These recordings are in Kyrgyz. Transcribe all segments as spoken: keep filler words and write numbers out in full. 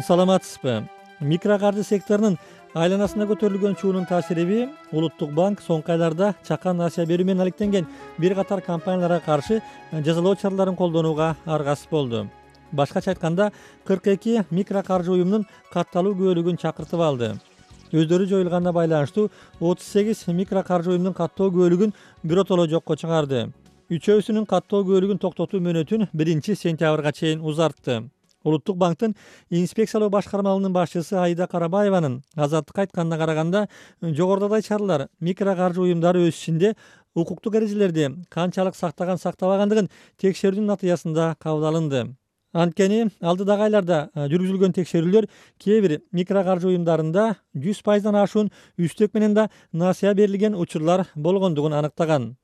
саламатсызбы? Микрокаржы секторунун айланасына көтөрүлгөн чуунун таасириби Улуттук банк соңку айларда чакан насыя берүү менен алектенген бир катар компанияларга каршы жазалоо чараларын колдонууга аргасыз болду. Башкача айтканда, кырк эки микрокаржы уюмунун катталуу күбөлүгүн чакыртып алды. Өздөрү жоюлганына байланыштуу отуз сегиз микрокаржы уюмунун каттоо күбөлүгүн биротоло жокко чыгарды. Үчөөсүнүн каттоо күбөлүгүн токтотуу мөөнөтүн биринчи сентябрга чейин узартты. Улуттук банктын инспекциялоо башкармалыгынын башчысы Аида Карабаеванын Азаттыкка айтканына караганда, жогорудагы чаралар микрокаржы уюмдары өз ичинде укуктук эрежелерди канчалык сактаган сактабагандыгын текшерүүнүн натыйжасында кабыл алынды. Анткени алдыдагы айларда жүргүзүлгөн текшерүүлөр кээ бир микрокаржы уюмдарында жүз пайыздан ашуун үстөк менен да насыя берилген учурлар болгондугун аныктаган.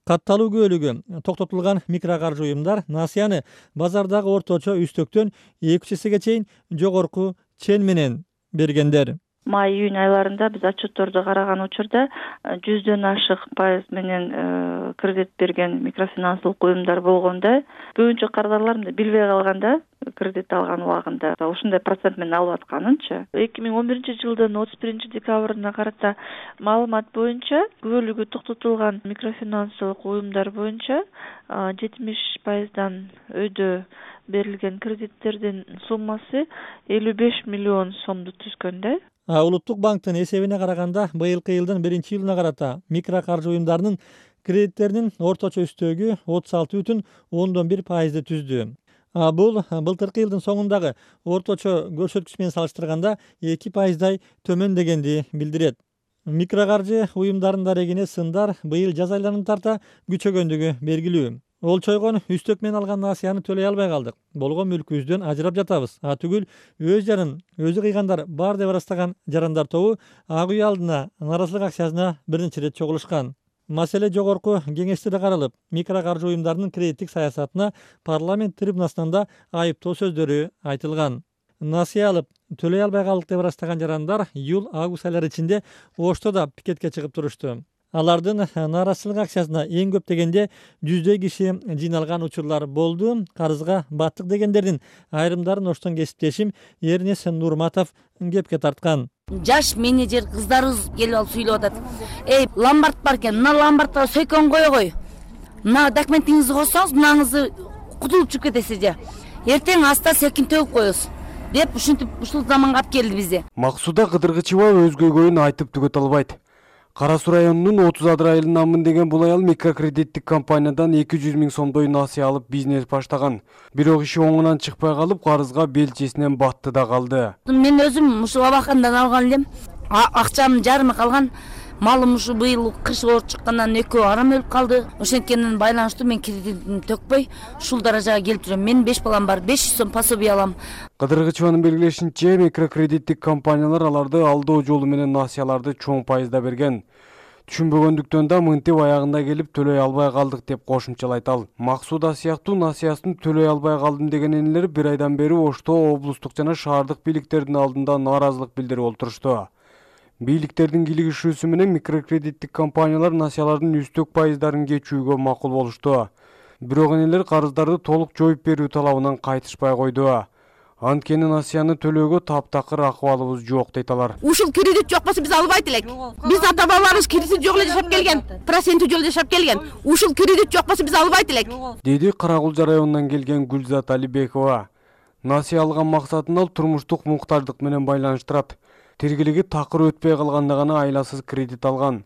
Катталуу күбөлүгү токтотулган микрокаржы уюмдар насыяны базардагы орточо үстөктөн эки үч эсеге чейин жогорку чен менен бергендер. Май-июнь айларында биз отчетторду караган учурда жүздөн ашык пайыз менен кредит берген микрофинансылык уюмдар болгондо, көбүнчө кардарлар мындай билбей калганда кредит алган убагында ушундай процент менен алып атканынчы. эки миң он биринчи жылдын отуз биринчи декабрына карата маалымат боюнча күбөлүгү токтотулган микрофинансылык уюмдар боюнча жетимиш пайыздан өйдө берилген кредиттердин суммасы элүү беш миллион сомду түзгөн да. Улуттук банктын эсебине караганда, быйылкы жылдын биринчи июлуна карата микрокаржы уюмдарынын кредиттеринин орточо үстөгү отуз алты бүтүн ондон бир пайызды түздү. Бул былтыркы жылдын соңундагы орточо көрсөткүч менен салыштырганда эки пайыздай төмөн дегенди билдирет. Микрокаржы уюмдарынын дарегине сындар быйыл жаз айларына тарта күчөгөндүгү белгилүү. Олчойгон үстөк менен алган насыяны төлөй албай калдык. Болгон мүлкүбүздөн ажырап жатабыз. А түгүл өз жанын өзү кыйгандар бар деп ырастаган жарандар тобу ак үй алдына нааразылык акциясына биринчи ирет чогулушкан. Маселе жогорку кеңеште да каралып, микрокаржы уюмдарынын кредиттик саясатына парламент трибунасынан да айыптоо сөздөрү айтылган. Насыя алып төлөй албай калдык деп ырастаган жарандар июль-август айлары ичинде Ошто да пикетке чыгып турушту. Алардын нааразычылык акциясына эң көп дегенде жүздөй киши жыйналган учурлар болду. Карызга баттык дегендердин айрымдарын Оштон кесиптешим Эрнес Нурматов кепке тарткан. Жаш менеджер кыздарыбыз келип алып сүйлөп атат. Эй, ломбард бар экен, мына ломбардга сөйкөн койгой. Мына документиңизди койсоңуз, мынаңызды кутулуп чыгып кетесиз же. Эртең аста секин төгүп коесуз деп ушинтип ушул заманга алып келди бизди. Максуда Кыдыргычева өз көйгөйүн айтып түгөтө албайт. Кара Суу районунун отуз адыр айылынанмын деген бул аял микрокредиттик компаниядан эки жүз миң сомдой насыя алып бизнес баштаган. Бирок иши оңунан чыкпай калып, карызга белчесинен батты да калды. Мен өзүм ушул абакандан алган элем. Акчам жарымы калган. Малым ушу быйыл кыш оор чыккандан экөө арам өлүп калды. Ошенткенен байланыштуу мен кредитимди төкпөй ушул даражага келип жүрөм. Менин беш балам бар, беш жүз сом пособие алам. Кыдыргычеванын белгилешинче, микрокредиттик компаниялар аларды алдоо жолу менен насыяларды чоң пайызда берген. Түшүнбөгөндүктөн да мынтип аягында келип төлөй албай калдык деп кошумчалайт ал. Максуда сыяктуу насыясын төлөй албай калдым деген энелер бир айдан бери Ошто облустук жана шаардык бийликтердин алдында нааразылык билдирип олтурушту. Бийликтердин кийлигишүүсү менен микрокредиттик компаниялар насыялардын үстөк пайыздарын кечүүгө макул болушту. Бирок энелер карыздарды толук жоюп берүү талабынан кайтышпай койду. Анткени насыяны төлөөгө таптакыр акыбалыбыз жок дейт алар. Ушул кредит жок болсо биз албайт элек. Биз ата-бабаларыбыз кредит жок эле жашап келген, проценти жок эле жашап келген. Ушул кредит жок болсо биз албайт элек. Деди Каракулжа районунан келген Гүлзат Алибекова. Насыя алган максатын ал турмуштук муктаждык менен байланыштырат. Тергелиги такыр өтпөй калганда гана айласыз кредит алган.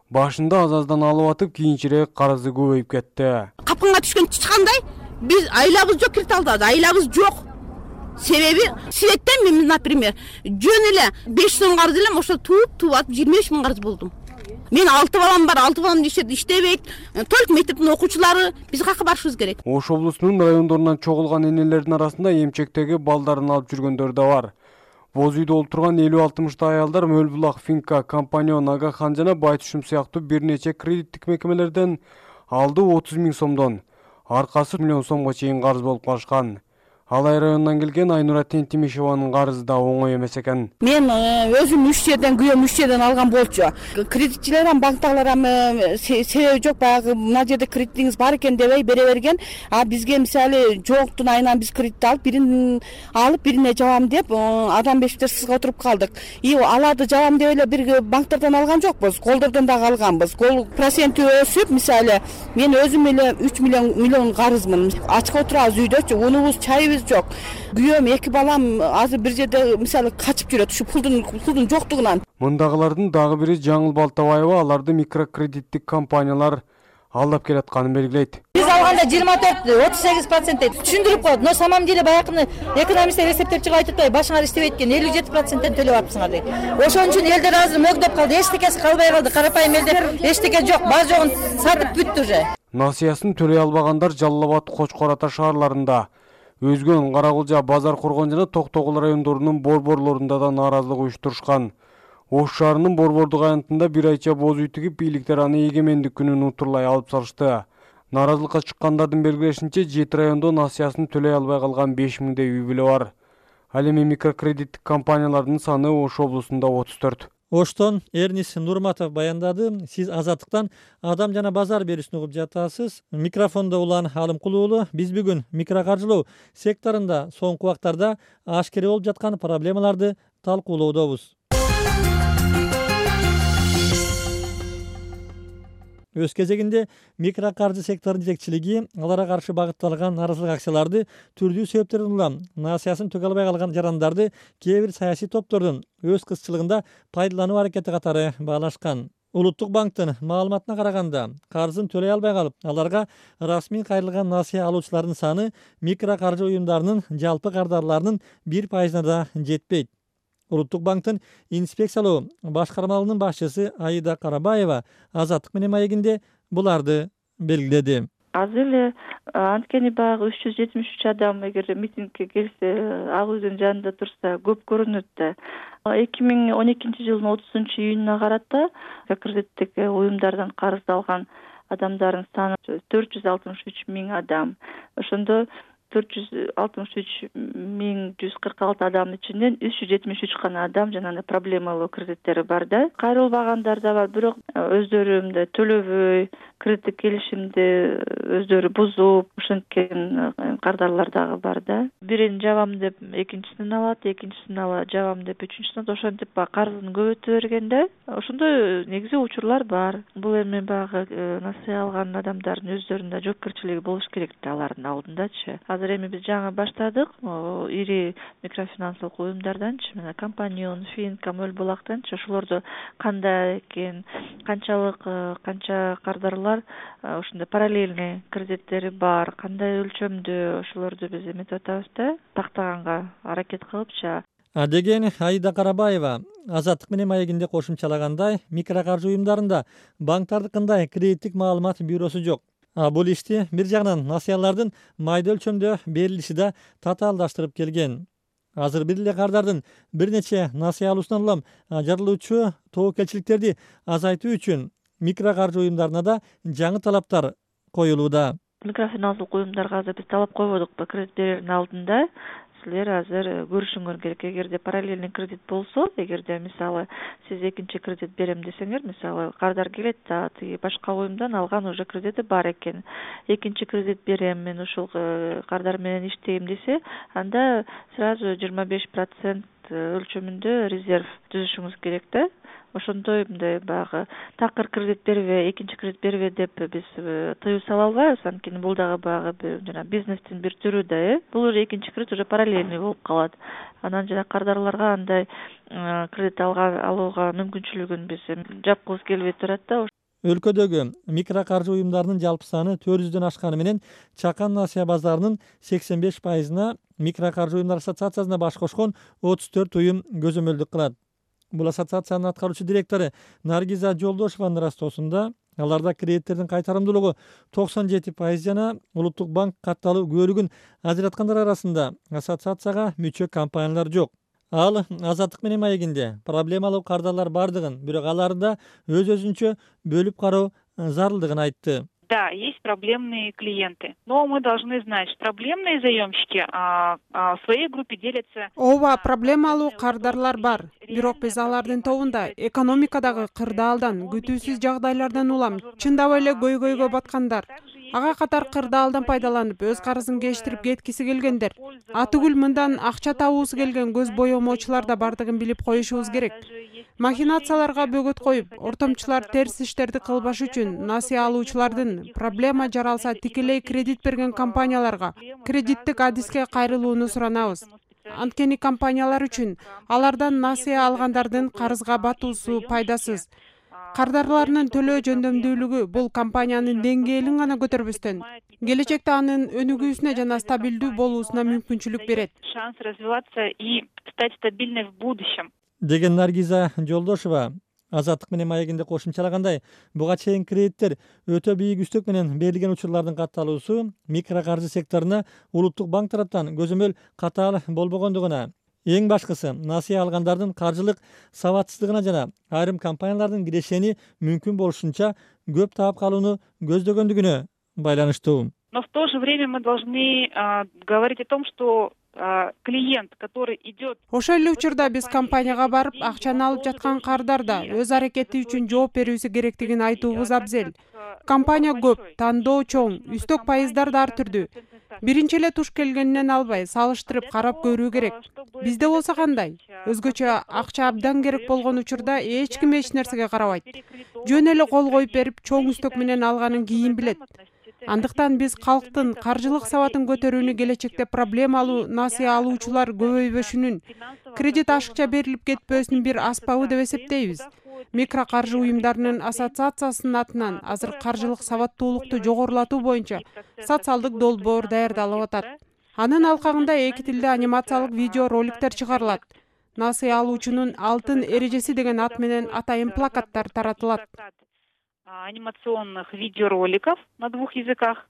Башында аз-аздан алып атып, кийинчерээк карызы көбөйүп кетти. Капканга түшкөн чычкандай, биз айлабыз жок кредит алдык, айлабыз жок. Себеби светтен мен, например, жөн эле беш сом карыз элем, ошо тууп, тууп атып жыйырма беш миң карыз болдум. Мен алты балам бар, алты балам иштебейт, только мектептин окуучулары, биз каяка барышыбыз керек. Ош облусунун райондорунан чогулган энелердин арасында эмчектеги балдарын алып жүргөндөр да бар. Боз үйдө олтурган элүү алтымыштай аялдар Мөлбулак, Финка, Компанион, Агахан жана Байтушум сыяктуу бир нече кредиттик мекемелерден алды отуз миң сомдон, аркасы миллион сомго чейин карыз болуп калышкан. Алай районунан келген Айнура Тентимишеванын карызы да оңой эмес экен. Мен өзүм үч жерден күйөөм үч жерден алган болчу. Кредитчилер ham банктагылар ham себеби жок, баягы мына жерде кредитиңиз бар экен дебей бере берген. А бизге мисалы жоктун айынан биз кредит алып, бирин алып бирине жабам деп адам бешиптер сызга отуруп калдык. И аларды жабам деп эле бир банктардан алган жокпуз, колдордон дагы алганбыз. Кол проценти өсүп, мисалы мен өзүм эле үч миллион миллион карызмын. Ачка отурабыз үйдөчү, унубуз, чайыбыз жок. Күйөөм, эки балам азыр бир жерде мисалы качып жүрөт ушу пулдун пулдун жоктугунан. Мындагылардын дагы бири Жаңыл Балтабаева аларды микрокредиттик компаниялар алдап келатканын белгилейт. Биз алганда жыйырма төрт отуз сегиз процент түшүндүрүп коет. Но самом деле баягы экономисттер эсептеп чыгып айтып атпайбы, башыңар иштебейт экен, элүү жети проценттен төлөп атпсыңар дейт. Ошон үчүн элдер азыр мөгдөп калды, эчтекеси калбай калды. Карапайым элдер эчтеке жок, бар жогун сатып бүттү уже. Насыясын төлөй албагандар Жалал абад, Кочкор ата шаарларында, Өзгөн, Каракулжа, Базар Кургон жана Токтогул райондорунун борборлорунда да нааразылык уюштурушкан. Ош шаарынын борбордук аянтында бир айча боз үй тигип, бийликтер аны эгемендик күнүн утурлай алып салышты. Нааразылыкка чыккандардын белгилешинче, жети райондо насыясын төлөй албай калган беш миңдей үй бүлө бар. Ал эми микрокредиттик компаниялардын саны Ош облусунда отуз төрт. Оштон Эрнис Нурматов баяндады. Сиз Азаттыктан Адам жана базар берүүсүн угуп жатасыз. Микрофондо Улан Алымкул уулу. Биз бүгүн микрокаржылоо секторунда соңку убактарда ашкере болуп жаткан проблемаларды талкуулоодобуз. Өз кезегинде микрокаржы секторунун жетекчилиги аларга каршы багытталган нааразылык акцияларды түрдүү себептерден улам насыясын төлөй албай калган жарандарды кээ бир саясий топтордун өз кызчылыгында пайдалануу аракети катары баалашкан. Улуттук банктын маалыматына караганда, карызын төлөй албай калып, аларга расмий кайрылган насыя алуучулардын саны микрокаржы уюмдарынын жалпы кардарларынын бир пайызына да жетпейт. Улуттук банктын инспекциялоо башкармалыгынын башчысы Аида Карабаева Азаттык менен маегинде буларды белгиледи. Азыр эле анткени баягы үч жүз жетимиш үч адам эгер митингге келсе, ак үйдүн жанында турса көп көрүнөт да. эки миң он экинчи жылдын отузунчу июнуна карата кредиттик уюмдардан карыз алган адамдардын саны төрт жүз алтымыш үч миң адам. Ошондо төрт жүз алтымыш үч миң жүз кырк алты адамдын ичинен үч жүз жетимиш үч гана адам жанагы проблемалуу кредиттери бар да. Кайрылбагандар да бар, бирок өздөрү мындай төлөбөй, кредиттик келишимди өздөрү бузуп, ошенткен кардарлар дагы бар да. Бирин жабам деп экинчисин алат, экинчисин ала жабам деп үчүнчүсүн алат, ошентип баягы карызын көбөйтө берген да. Ошондой негизи учурлар бар. Бул эми баягы насыя алган адамдардын өздөрүнүн жоопкерчилиги болуш керек да алардын алдындачы. Азыр эми биз жаңы баштадык, ири микрофинансылык уюмдарданчы, мына Компанион, Финком, Өл Булактанчы ошолордо кандай экен, канчалык канча кардарлар ошондой параллельный кредиттери бар, кандай өлчөмдө, ошолорду биз эметип атабыз да, тактаганга аракет кылыпчы. Деген Аида Карабаева Азаттык менен маегинде кошумчалагандай, микрокаржы уюмдарында банктардыкындай кредиттик маалымат бюросу жок. А бул ишти бир жагынан насыялардын майда өлчөмдө берилиши да татаалдаштырып келген. Азыр бир эле кардардын бир нече насыя алуусунан улам жарылуучу тобокелчиликтерди азайтуу үчүн микрокаржы уюмдарына да жаңы талаптар коюлууда. Микрофинансылык уюмдарга азыр биз талап койбодукпу кредит берердин алдында? Силер азыр көрүшүңөр керек. Эгерде параллельный кредит болсо, эгерде мисалы сиз экинчи кредит берем десеңер, мисалы кардар келет да, тиги башка уюмдан алган уже кредити бар экен. Экинчи кредит берем, мен ушул кардар менен иштейм десе, анда сразу жыйырма беш процент өлчөмүндө резерв түзүшүңүз керек да. Ошондой мындай баягы такыр кредит бербе, экинчи кредит бербе деп биз тыюу сала албайбыз. Анткени бул дагы баягы жана бизнестин бир түрү да, э. Бул уже экинчи кредит уже параллельный болуп калат. Анан жана кардарларга андай кредит алууга мүмкүнчүлүгүн биз жапкыбыз келбей турат да. Өлкөдөгү микрокаржы уюмдарынын жалпы саны төрт жүздөн ашканы менен чакан насыя базарынын сексен беш пайызына микрокаржы уюмдар ассоциациясына баш кошкон отуз төрт уюм көзөмөлдүк кылат. Бул ассоциациянын аткаруучу директору Наргиза Жолдошеванын ырастоосунда аларда кредиттердин кайтарымдуулугу токсон жети пайыз жана Улуттук банк катталуу күбөлүгүн ажыраткандар арасында ассоциацияга мүчө компаниялар жок. Ал Азаттык менен маегинде проблемалуу кардарлар бардыгын, бирок аларды өз-өзүнчө бөлүп кароо зарылдыгын айтты. Да, есть проблемные клиенты, но мы должны знать, что проблемные заемщики а, а, в своей группе делятся. Ооба, проблемалуу кардарлар бар. Бирок биз алардын тобунда экономикадагы кырдаалдан, күтүүсүз жагдайлардан улам чындап эле көйгөйгө баткандар, ага катар кырдаалдан пайдаланып өз карызын кечтирип кеткиси келгендер, атүгүл мындан акча табуусу келген көз боемоочулар да бардыгын билип коюшубуз керек. Махинацияларга бөгөт коюп, ортомчулар терс иштерди кылбаш үчүн насыя алуучулардын проблема жаралса тикелей кредит берген компанияларга кредиттик адиске кайрылууну суранабыз. Анткени компаниялар үчүн алардан насыя алгандардын карызга батуусу пайдасыз. Кардарларынын төлөө жөндөмдүүлүгү бул компаниянын деңгээлин гана көтөрбөстөн, келечекте анын өнүгүүсүнө жана стабилдүү болуусуна мүмкүнчүлүк берет. Шанс развиваться и стать стабильной в будущем. Деген Наргиза Жолдошева Азаттык менен маегинде кошумчалагандай, буга чейин кредиттер өтө бийик үстөк менен берилген учурлардын катталуусу микрокаржы секторуна улуттук банк тараптан көзөмөл катаал болбогондугуна, эң башкысы насыя алгандардын каржылык сабатсыздыгына жана айрым компаниялардын кирешени мүмкүн болушунча көп таап калууну көздөгөндүгүнө байланыштуу. Но в то же время мы должны а, говорить о том, что клиент, который идет. Ошол эле учурда биз компанияга барып, акчаны алып жаткан кардар да өз аракети үчүн жооп берүүсү керектигин айтуубуз абзел. Компания көп, тандоо чоң, үстөк пайыздар да ар түрдүү. Биринчи эле туш келгенинен албай, салыштырып карап көрүү керек. Бизде болсо кандай? Өзгөчө акча абдан керек болгон учурда эч ким эч нерсеге карабайт. Жөн эле кол коюп берип, чоң үстөк менен алганын кийин билет. Андыктан биз калктын каржылык сабатын көтөрүүнү келечекте проблемалуу насыя алуучулар көбөйбөшүнүн, кредит ашыкча берилип кетпөөсүнүн бир аспабы деп эсептейбиз. Микрокаржы уюмдарынын ассоциациясынын атынан азыр каржылык сабаттуулукту жогорулатуу боюнча социалдык долбоор даярдалып атат. Анын алкагында эки тилде анимациялык видео роликтер чыгарылат. Насыя алуучунун алтын эрежеси деген ат менен атайын плакаттар таратылат. Анимационных видеороликов на двух языках,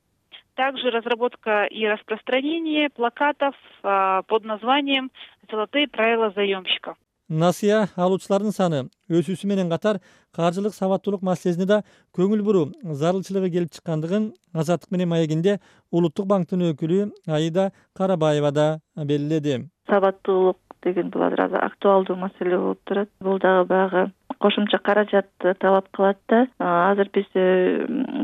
также разработка и распространение плакатов а, под названием «Золотые правила заемщиков». Насыя алуучулардын саны өсүүсү менен катар каржылык сабаттуулук маселесине да көңүл буруу зарылчылыгы келип чыккандыгын Азаттык менен маегинде Улуттук банктын өкүлү Аида Карабаева да белгиледи. Сабаттуулук деген бул азыр актуалдуу маселе болуп турат. Бул дагы баягы кошумча каражатты талап кылат да. Азыр биз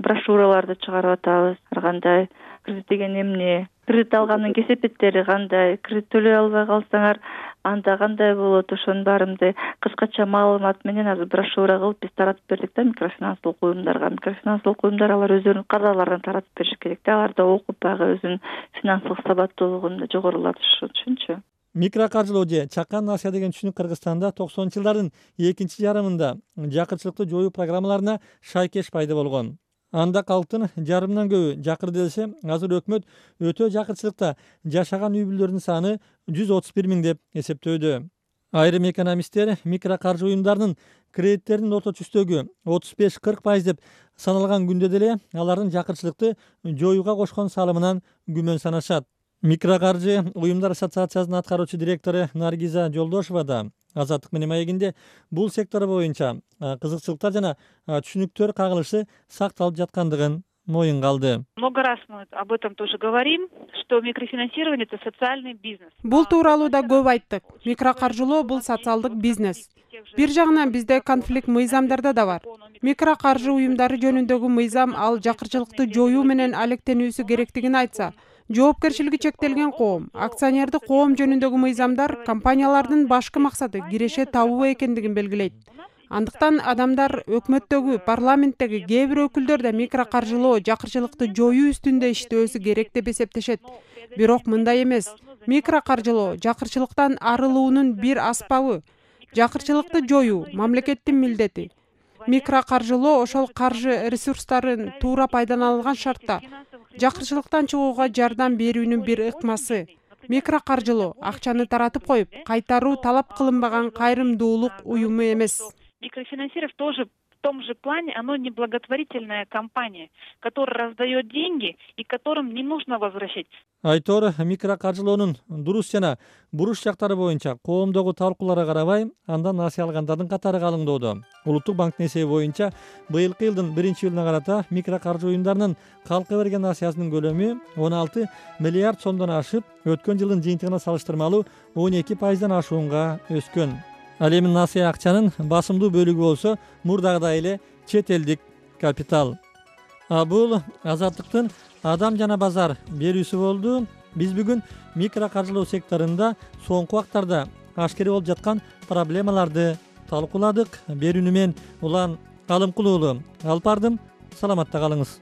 брошюраларды чыгарып атабыз. Ар кандай кредит деген эмне, кредит алгандын кесепеттери кандай, кредит төлөй албай калсаңар анда кандай болот, ошонун баарындай кыскача маалымат менен азыр брошюра кылып биз таратып бердик да микрофинанстылык уюмдарга. Микрофинанстылык уюмдар алар өздөрүнүн кардарларын таратып бериш керек да. Алар да окуп баягы өзүнүн финансылык сабаттуулугун жогорулатыш үчүнчү. Микрокаржылоо же чакан насыя деген түшүнүк Кыргызстанда токсонунчу жылдардын экинчи жарымында жакырчылыкты жоюу программаларына шайкеш пайда болгон. Анда калктын жарымынан көбү жакыр делсе, азыр өкмөт өтө жакырчылыкта жашаган үй бүлөлөрдүн саны жүз отуз бир миң деп эсептөөдө. Айрым экономисттер микрокаржы уюмдарынын кредиттердин орточо үстөгү отуз беш кырк пайыз деп саналган күндө деле алардын жакырчылыкты жоюуга кошкон салымынан күмөн санашат. Микрокаржы уюмдар ассоциациясынын аткаруучу директору Наргиза Жолдошева да Азаттык менен маегинде бул сектор боюнча кызыкчылыктар жана түшүнүктөр кагылышы сакталып жаткандыгын моюнга алды. Много раз мы об этом тоже говорим, что микрофинансирование это социальный бизнес. Бул тууралуу да көп айттык. Микрокаржылоо бул социалдык бизнес. Бир жагынан бизде конфликт мыйзамдарда да бар. Микрокаржы уюмдары жөнүндөгү мыйзам ал жакырчылыкты жоюу менен алектенүүсү керектигин айтса, жоопкерчилиги чектелген коом, акционердик коом жөнүндөгү мыйзамдар компаниялардын башкы максаты киреше табуу экендигин белгилейт. Андыктан адамдар өкмөттөгү, парламенттеги кээ бир өкүлдөр да микрокаржылоо, жакырчылыкты жоюу үстүндө иштөөсү керек деп эсептешет. Бирок мындай эмес. Микрокаржылоо жакырчылыктан арылуунун бир аспабы. Жакырчылыкты жоюу мамлекеттин милдети. Микрокаржылоо ошол каржы ресурстарын туура пайдаланылган шартта жакырчылыктан чыгууга жардам берүүнүн бир ыкмасы. Микрокаржылоо акчаны таратып коюп, кайтаруу талап кылынбаган кайрымдуулук уюму эмес. Микрофинансирование тоже том же плане оно не благотворительная компания, которая раздает деньги и которым не нужно возвращать. Айтор микрокаржылоонун дурус жана буруш жактары боюнча коомдогу талкууларга карабай андан насыя алгандардын катары калыңдоодо. Улуттук банктын эсеби боюнча быйылкы жылдын биринчи июлуна карата микрокаржы уюмдарынын калкка берген насыясынын көлөмү он алты миллиард сомдон ашып, өткөн жылдын жыйынтыгына салыштырмалуу он эки пайыздан ашуунга өскөн. Ал эми насыя акчанын басымдуу бөлүгү болсо мурдагыдай эле чет элдик капитал. А бул Азаттыктын адам жана базар берүүсү болду. Биз бүгүн микрокаржылоо секторунда соңку убактарда ашкери болуп жаткан проблемаларды талкууладык. Берүүнү мен Улан Алымкулуулу алып бардым. Саламатта калыңыз.